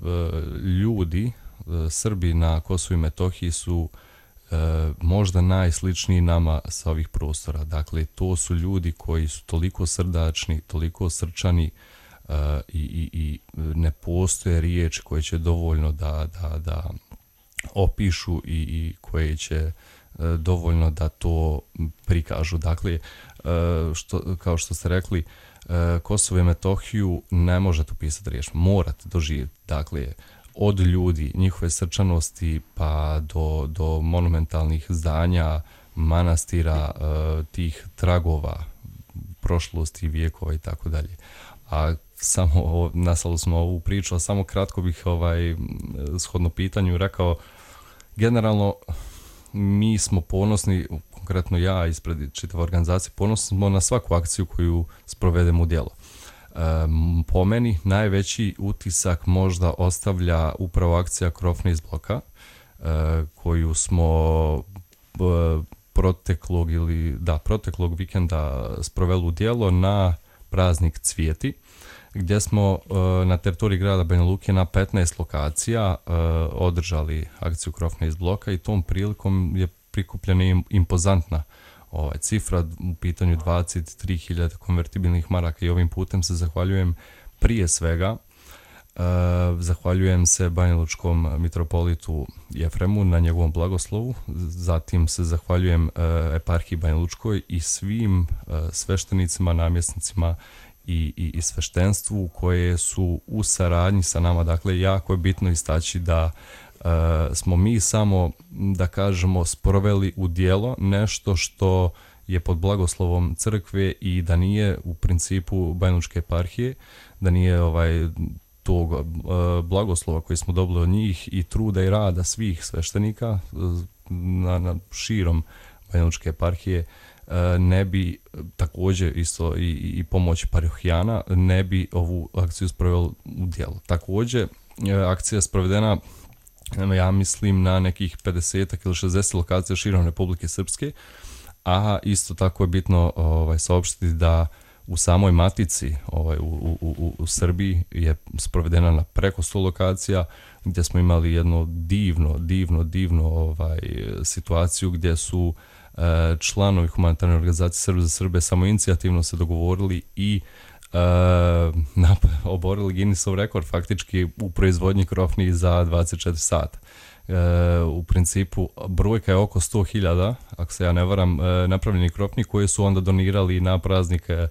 ljudi, uh, Srbi na Kosovu i Metohiji su E, možda najsličniji nama sa ovih prostora. Dakle, to su ljudi koji su toliko srdačni, toliko srčani e, i, i, i ne postoje riječi koje će dovoljno da, da, da opišu i, i koje će e, dovoljno da to prikažu. Dakle, e, što, kao što ste rekli, e, Kosovo i Metohiju ne možete upisati riječima, morate doživjeti. Dakle, od ljudi, njihove srčanosti pa do, do monumentalnih zdanja, manastira, tih tragova prošlosti, vijekova i tako dalje. A samo, nastavili smo ovu priču, a samo kratko bih ovaj, shodno pitanju rekao, generalno mi smo ponosni, konkretno ja ispred čitave organizacije, ponosni smo na svaku akciju koju sprovedemo u djelo. Um, po meni najveći utisak možda ostavlja upravo akcija Krofne iz bloka, uh, koju smo uh, proteklog ili da, proteklog vikenda sproveli u djelo na praznik Cvijeti, gdje smo uh, na teritoriji grada Banja Luke na petnaest lokacija uh, održali akciju Krofne iz bloka i tom prilikom je prikupljena im, impozantna ovaj, cifra, u pitanju dvadeset tri hiljade konvertibilnih maraka i ovim putem se zahvaljujem prije svega Uh, zahvaljujem se banjalučkom mitropolitu Jefremu na njegovom blagoslovu, zatim se zahvaljujem uh, eparhiji Banjalučkoj i svim uh, sveštenicima, namjesnicima i, i, i sveštenstvu koje su u saradnji sa nama. Dakle, jako je bitno istaći da uh, smo mi samo, da kažemo, sproveli u djelo nešto što je pod blagoslovom crkve i da nije u principu Banjalučke eparhije, da nije ovaj tog uh, blagoslova koji smo dobili od njih i truda i rada svih sveštenika uh, na, na širom Banjalučke eparhije, uh, ne bi također isto i, i pomoć parohijana, ne bi ovu akciju sproveli u djelo. Također, uh, akcija je sprovedena, ja mislim, na nekih pedeset ili šezdeset lokacija širom Republike Srpske, a isto tako je bitno ovaj, saopštiti da u samoj matici ovaj, u, u, u, u Srbiji je sprovedena na preko sto lokacija, gdje smo imali jedno divno, divno, divno ovaj, situaciju gdje su e, članovi humanitarne organizacije Srbe za Srbe samoinicijativno se dogovorili i e, nap, oborili Guinnessov rekord faktički u proizvodnji krofnih za dvadeset četiri sata. E, u principu brojka je oko sto hiljada, ako se ja ne varam, e, napravljeni krofni koji su onda donirali na praznike e,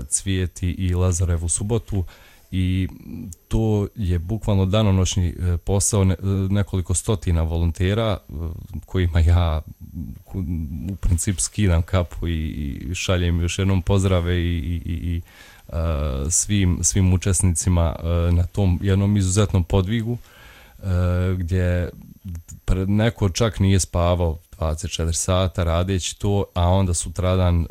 Cvijeti i Lazarevu subotu i to je bukvalno danonoćni e, posao ne, nekoliko stotina volontera e, kojima ja u principu skidam kapu i, i šaljem još jednom pozdrave i, i, i e, svim, svim učesnicima e, na tom jednom izuzetnom podvigu. Uh, gdje neko čak nije spavao dvadeset četiri sata radeći to, a onda sutradan uh,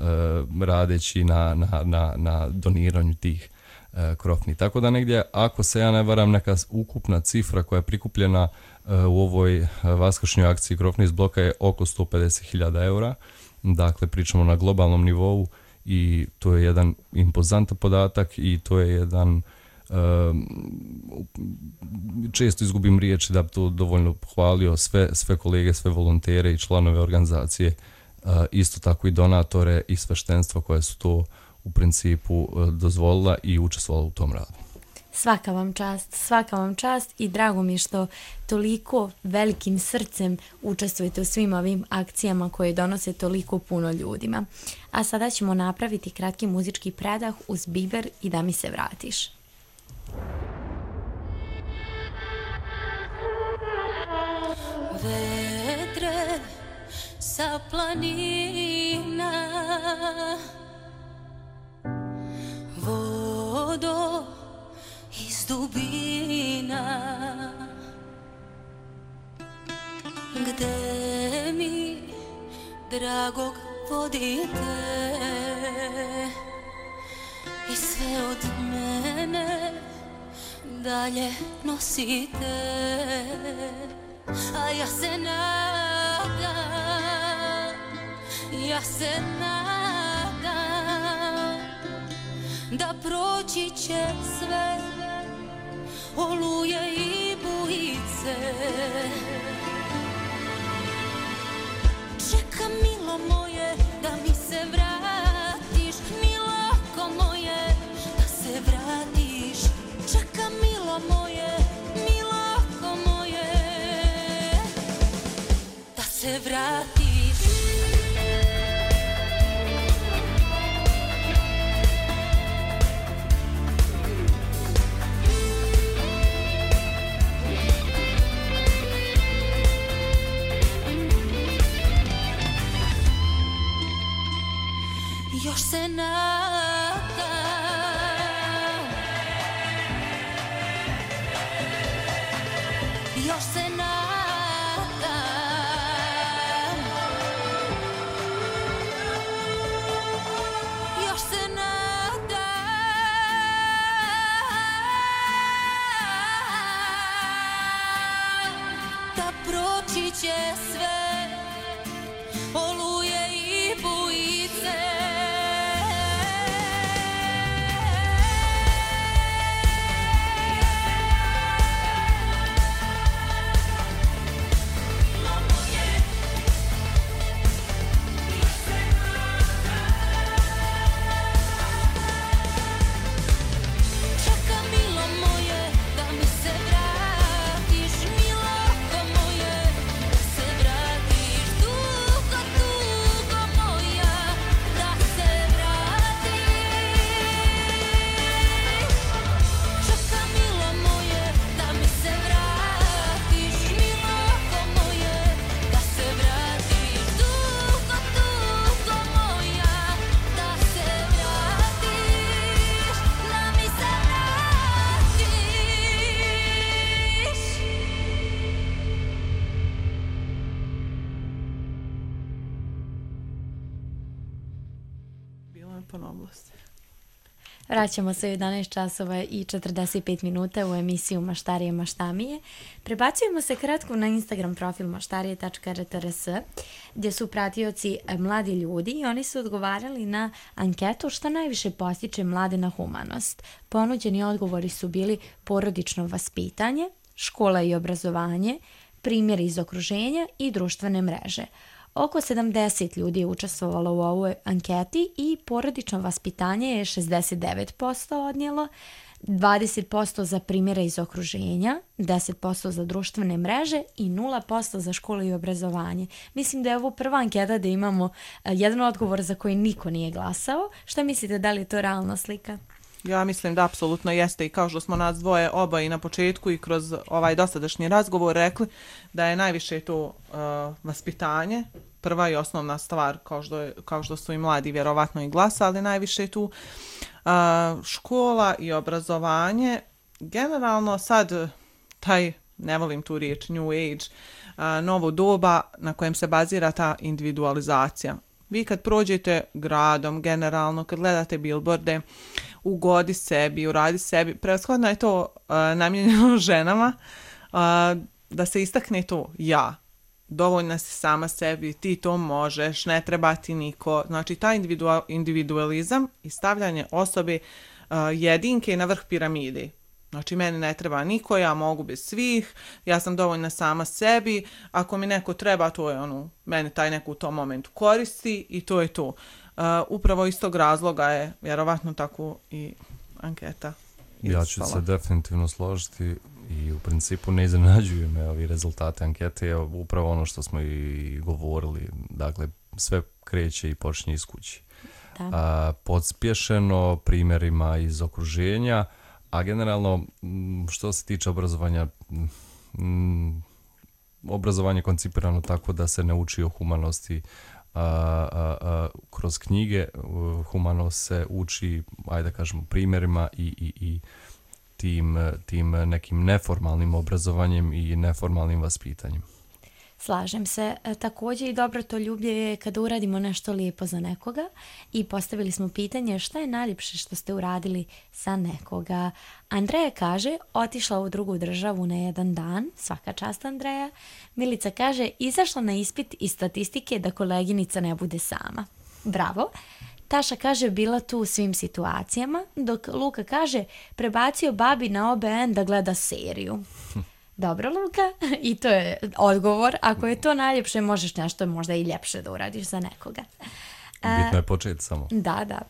radeći na, na, na, na doniranju tih uh, krofni. Tako da negdje, ako se ja ne varam, neka ukupna cifra koja je prikupljena uh, u ovoj uh, vaskršnjoj akciji Krofni iz bloka je oko sto pedeset hiljada eura. Dakle, pričamo na globalnom nivou i to je jedan impozantan podatak i to je jedan Uh, često izgubim riječi da bi to dovoljno pohvalio sve, sve kolege, sve volontere i članove organizacije, uh, isto tako i donatore i sveštenstva koje su to u principu uh, dozvolila i učestvovala u tom radu. Svaka vam čast, svaka vam čast i drago mi je što toliko velikim srcem učestvujete u svim ovim akcijama koje donose toliko puno ljudima. A sada ćemo napraviti kratki muzički predah uz Biber i Da mi se vratiš. Vedre sa planina, vodo iz dubina, gde mi dragog vodite i sve od mene dalje nosite, a ja se nadam, ja se nadam da proći će sve oluje i bujice. Čekam, milo moje, da mi se vratiš, miloko moje, da se vratiš. Čekam, milo moje, miloko moje, da se vratiš. oblasti. Vraćamo se u jedanaest časova i četrdeset pet minuta u emisiju Maštarije maštamije. Prebacujemo se kratko na Instagram profil maštarije tačka r t r s gdje su pratioci mladi ljudi i oni su odgovarali na anketu što najviše postiče mlade na humanost. Ponuđeni odgovori su bili porodično vaspitanje, škola i obrazovanje, primjeri iz okruženja i društvene mreže. Oko sedamdeset ljudi je učestvovalo u ovoj anketi i porodično vaspitanje je šezdeset devet posto odnijelo, dvadeset posto za primjere iz okruženja, deset posto za društvene mreže i nula posto za školu i obrazovanje. Mislim da je ovo prva anketa da imamo jedan odgovor za koji niko nije glasao. Šta mislite, da li je to realna slika? Ja mislim da apsolutno jeste i kao što smo nas dvoje oba i na početku i kroz ovaj dosadašnji razgovor rekli da je najviše to uh, vaspitanje, prva i osnovna stvar kao što, je, kao što su i mladi vjerovatno i glasali, najviše tu uh, škola i obrazovanje. Generalno sad taj, ne volim tu riječ, new age, uh, novo doba na kojem se bazira ta individualizacija. Vi kad prođete gradom, generalno, kad gledate billboarde, ugodi sebi, uradi sebi, prevashodno je to uh, namijenjeno ženama, uh, da se istakne to ja. Dovoljna si sama sebi, ti to možeš, ne treba ti niko. Znači, taj individual, individualizam i stavljanje osobe uh, jedinke na vrh piramide. Znači, meni ne treba niko, ja mogu bez svih, ja sam dovoljna sama sebi, ako mi neko treba, to je ono, meni taj neko u tom momentu koristi i to je to. Uh, upravo iz tog razloga je vjerovatno tako i anketa Ja ću se definitivno složiti i u principu ne iznenađuju me ovi rezultate ankete, je upravo ono što smo i govorili, dakle sve kreće i počinje iz kući. A, podspješeno primjerima iz okruženja, a generalno što se tiče obrazovanja, m, obrazovanje je koncipirano tako da se ne uči o humanosti a, a, a, kroz knjige, humanost se uči, ajde da kažemo, primjerima i, i, i tim, tim nekim neformalnim obrazovanjem i neformalnim vaspitanjem. Slažem se. E, također i dobrotoljublje je kada uradimo nešto lijepo za nekoga i postavili smo pitanje šta je najljepše što ste uradili za nekoga. Andreja kaže, otišla u drugu državu na jedan dan, svaka čast Andreja. Milica kaže, izašla na ispit iz statistike da koleginica ne bude sama. Bravo. Taša kaže, bila tu u svim situacijama, dok Luka kaže, prebacio babi na O B N da gleda seriju. Dobro, Luka, i to je odgovor. Ako je to najljepše, možeš nešto možda i ljepše da uradiš za nekoga. Bitno je početi samo. Da, da.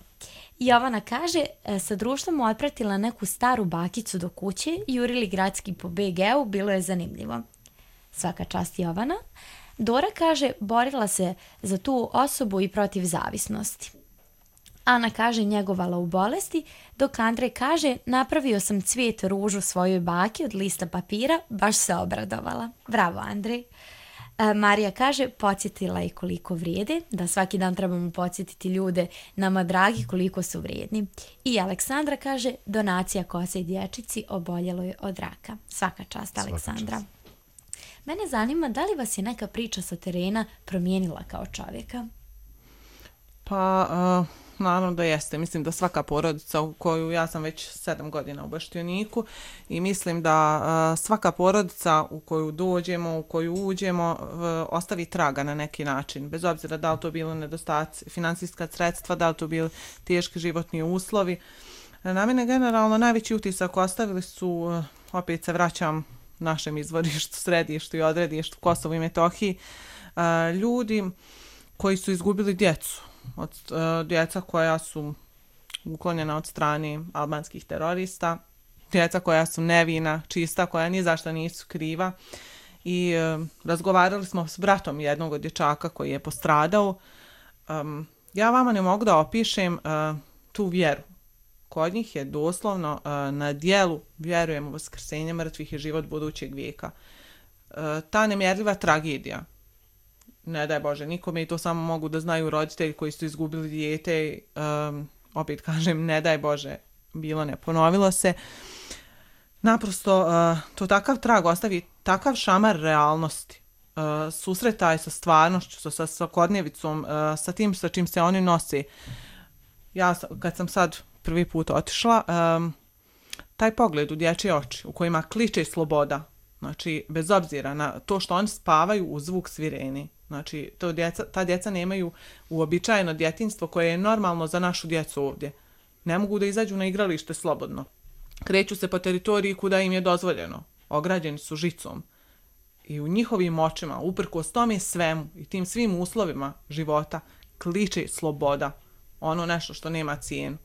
Jovana kaže, sa društvom otpratila neku staru bakicu do kuće, jurili gradski po B G-u, bilo je zanimljivo. Svaka čast Jovana. Dora kaže, borila se za tu osobu i protiv zavisnosti. Ana kaže, njegovala u bolesti, dok Andrej kaže, napravio sam cvijet ružu svojoj baki od lista papira, baš se obradovala. Bravo, Andrej. E, Marija kaže, podsjetila je koliko vrijede, da svaki dan trebamo podsjetiti ljude nama dragi koliko su vrijedni. I Aleksandra kaže, donacija kose i dječici oboljeloj od raka. Svaka čast, Aleksandra. Svaka čast. Mene zanima, da li vas je neka priča sa terena promijenila kao čovjeka? Pa... Uh... Naravno da jeste. Mislim da svaka porodica u koju ja sam već sedam godina u Baštioniku i mislim da uh, svaka porodica u koju dođemo, u koju uđemo, uh, ostavi traga na neki način. Bez obzira da li to bilo nedostaci financijska sredstva, da li to bili teški životni uslovi. Na mene generalno najveći utisak ostavili su, uh, opet se vraćam našem izvorištu, središtu i odredištu Kosovu i Metohiji, uh, ljudi koji su izgubili djecu. Od uh, djeca koja su uklonjena od strane albanskih terorista, djeca koja su nevina, čista, koja ni zašto nisu kriva. I uh, razgovarali smo s bratom jednog od dječaka koji je postradao. Um, ja vama ne mogu da opišem uh, tu vjeru. Kod njih je doslovno uh, na dijelu vjerujemo u vaskrsenje mrtvih i život budućeg vijeka. Uh, ta nemjerljiva tragedija. Ne daj Bože nikome i to samo mogu da znaju roditelji koji su izgubili dijete. Um, opet kažem, ne daj Bože, bilo ne ponovilo se. Naprosto, uh, to takav trag ostavi, takav šamar realnosti. Uh, susretaj sa stvarnošću, sa svakodnevicom, uh, sa tim sa čim se oni nose. ja sam- kad sam sad prvi put otišla, um, taj pogled u dječje oči u kojima kliče sloboda, znači bez obzira na to što oni spavaju u zvuk svireni, znači to djeca, ta djeca nemaju uobičajeno djetinjstvo koje je normalno za našu djecu ovdje. Ne mogu da izađu na igralište slobodno. Kreću se po teritoriji kuda im je dozvoljeno. Ograđeni su žicom. I u njihovim očima, uprkos tome svemu i tim svim uslovima života, kliče sloboda. Ono nešto što nema cijenu.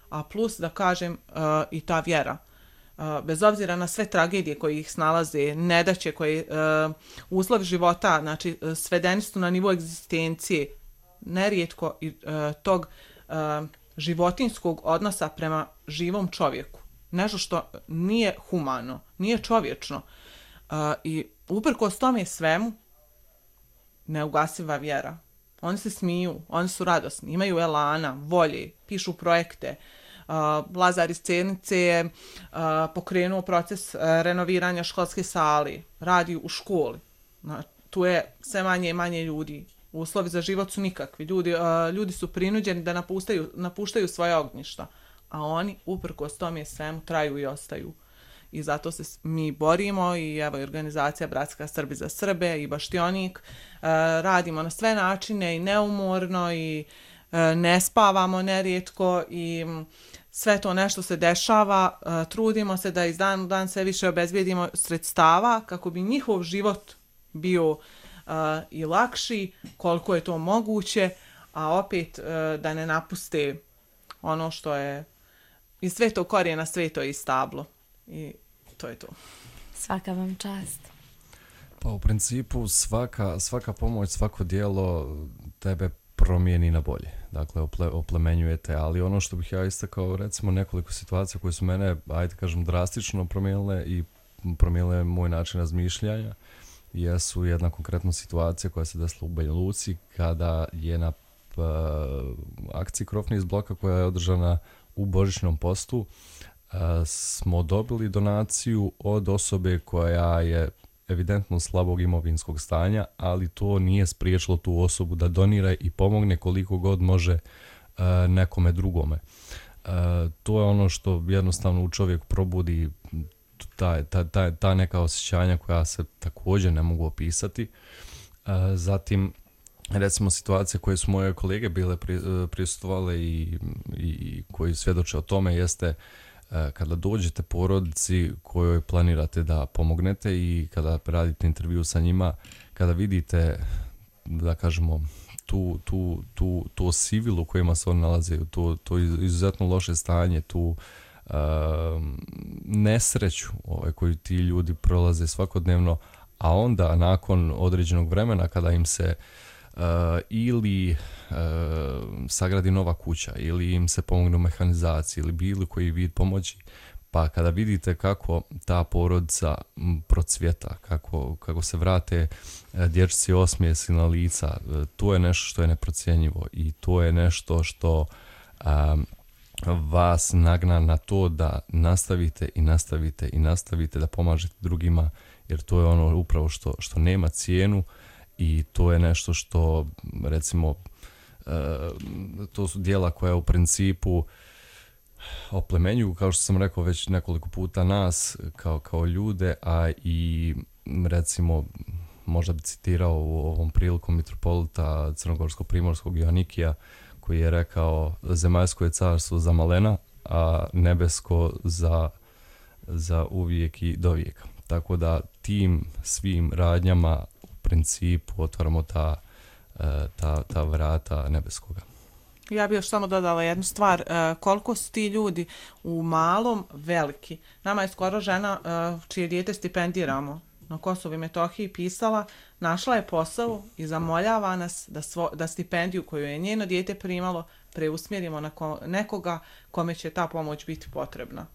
A plus, da kažem, uh, i ta vjera. Uh, bez obzira na sve tragedije koje ih snalaze, nedaće koje uh, uslovi života, znači uh, svedeni su na nivo egzistencije, nerijetko i uh, tog uh, životinskog odnosa prema živom čovjeku. Nešto što nije humano, nije čovječno. Uh, I uprkos tome svemu, neugasiva vjera. Oni se smiju, oni su radosni, imaju elana, volje, pišu projekte. Uh, Lazar iz Cernice je uh, pokrenuo proces uh, renoviranja školske sale, radi u školi. Na, tu je sve manje i manje ljudi. Uslovi za život su nikakvi. Ljudi, uh, ljudi su prinuđeni da napuštaju, napuštaju svoje ognjišta, a oni uprkos tome svemu traju i ostaju. I zato se s- mi borimo i evo i organizacija Bratska Srbi za Srbe i Baštionik. Uh, radimo na sve načine i neumorno i uh, ne spavamo nerijetko i mm, sve to nešto se dešava. Uh, trudimo se da iz dan u dan sve više obezbijedimo sredstava kako bi njihov život bio uh, i lakši koliko je to moguće, a opet uh, da ne napuste ono što je iz svetog korijena sveto je i stablo. I to je to. Svaka vam čast. Pa u principu svaka, svaka pomoć, svako dijelo tebe promijeni na bolje. Dakle, ople, oplemenjujete, ali ono što bih ja istakao, recimo nekoliko situacija koje su mene, ajde kažem, drastično promijenile i promijenile moj način razmišljanja, jesu jedna konkretna situacija koja se desila u Banja Luci kada je na uh, akciji Krofni iz bloka koja je održana u Božićnom postu uh, smo dobili donaciju od osobe koja je evidentno slabog imovinskog stanja, ali to nije spriječilo tu osobu da donira i pomogne koliko god može uh, nekome drugome. Uh, to je ono što jednostavno u čovjek probudi ta, ta, ta, ta neka osjećanja koja se također ne mogu opisati. Uh, zatim, recimo situacije koje su moje kolege bile pri, uh, prisustvovale i, i, i koji svjedoče o tome jeste uh, kada dođete porodici kojoj planirate da pomognete i kada radite intervju sa njima, kada vidite, da kažemo, tu, tu, tu, tu sivilu u kojima se oni nalaze, to, to izuzetno loše stanje, tu uh, nesreću ovaj, koju ti ljudi prolaze svakodnevno, a onda nakon određenog vremena kada im se uh, ili uh, sagradi nova kuća ili im se pomogne u mehanizaciji ili bilo koji vid pomoći, pa kada vidite kako ta porodica m, procvjeta, kako, kako se vrate e, dječci osmijesi na lica, e, to je nešto što je neprocjenjivo i to je nešto što a, vas nagna na to da nastavite i nastavite i nastavite da pomažete drugima, jer to je ono upravo što, što nema cijenu i to je nešto što, recimo, e, to su djela koja u principu oplemenjuju, kao što sam rekao već nekoliko puta, nas kao, kao ljude, a i recimo možda bi citirao u ovom prilikom mitropolita Crnogorsko-Primorskog Joanikija koji je rekao: zemaljsko je carstvo za malena, a nebesko za, za uvijek i dovijeka. Tako da tim svim radnjama u principu otvaramo ta, ta, ta vrata nebeskoga. Ja bih još samo dodala jednu stvar, uh, koliko su ti ljudi u malom veliki. Nama je skoro žena uh, čije dijete stipendiramo na Kosovu i Metohiji pisala, našla je posao i zamoljava nas da, svo, da stipendiju koju je njeno dijete primalo preusmjerimo na ko, nekoga kome će ta pomoć biti potrebna.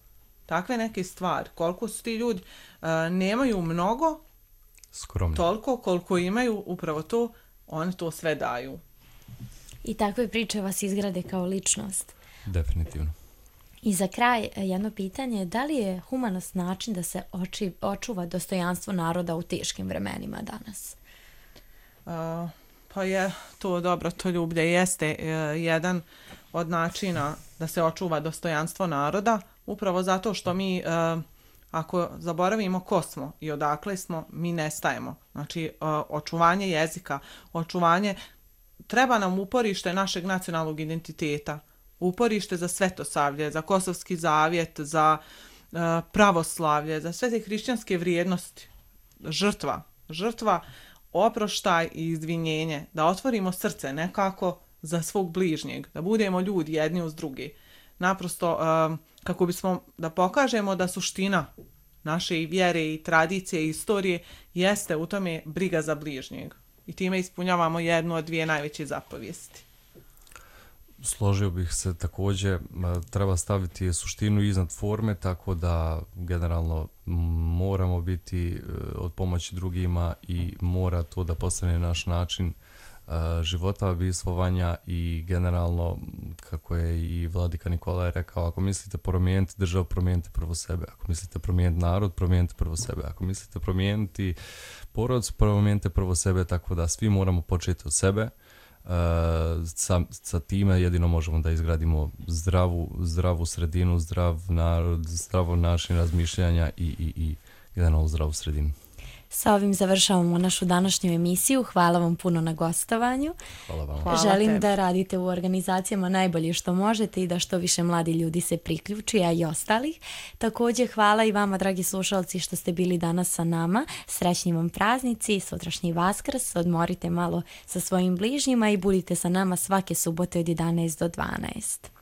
Takve neke stvari, koliko su ti ljudi, uh, nemaju mnogo, skromno, toliko koliko imaju, upravo to, oni to sve daju. I takve priče vas izgrade kao ličnost. Definitivno. I za kraj jedno pitanje, da li je humanost način da se oči, očuva dostojanstvo naroda u teškim vremenima danas? Uh, pa je to dobro, to ljublje jeste uh, jedan od načina da se očuva dostojanstvo naroda, upravo zato što mi, e, ako zaboravimo ko smo i odakle smo, mi nestajemo. Znači, e, očuvanje jezika, očuvanje, treba nam uporište našeg nacionalnog identiteta, uporište za Svetosavlje, za Kosovski zavjet, za e, pravoslavlje, za sve te hrišćanske vrijednosti, žrtva, žrtva, oproštaj i izvinjenje, da otvorimo srce nekako za svog bližnjeg, da budemo ljudi jedni uz drugi. Naprosto, um, kako bismo da pokažemo da suština naše i vjere i tradicije i istorije jeste u tome briga za bližnjeg. I time ispunjavamo jednu od dvije najveće zapovijesti. Složio bih se također, treba staviti suštinu iznad forme, tako da generalno moramo biti od pomoći drugima i mora to da postane naš način života, bivstvovanja i generalno, kako je i vladika Nikolaj rekao, ako mislite promijeniti državu, promijenite prvo sebe. Ako mislite promijeniti narod, promijenite prvo sebe. Ako mislite promijeniti porodicu, promijenite prvo sebe, tako da svi moramo početi od sebe. Uh, sa, sa time jedino možemo da izgradimo zdravu, zdravu sredinu, zdrav narod, zdravo način razmišljanja i, i, i generalno zdravu sredinu. Sa ovim završavamo našu današnju emisiju. Hvala vam puno na gostovanju. Hvala vam. Hvala Želim tebi. da radite u organizacijama najbolje što možete i da što više mladi ljudi se priključi, a i ostalih. Također hvala i vama, dragi slušalci, što ste bili danas sa nama. Srećni vam praznici, sutrašnji Vaskrs, odmorite malo sa svojim bližnjima i budite sa nama svake subote od jedanaest do dvanaest.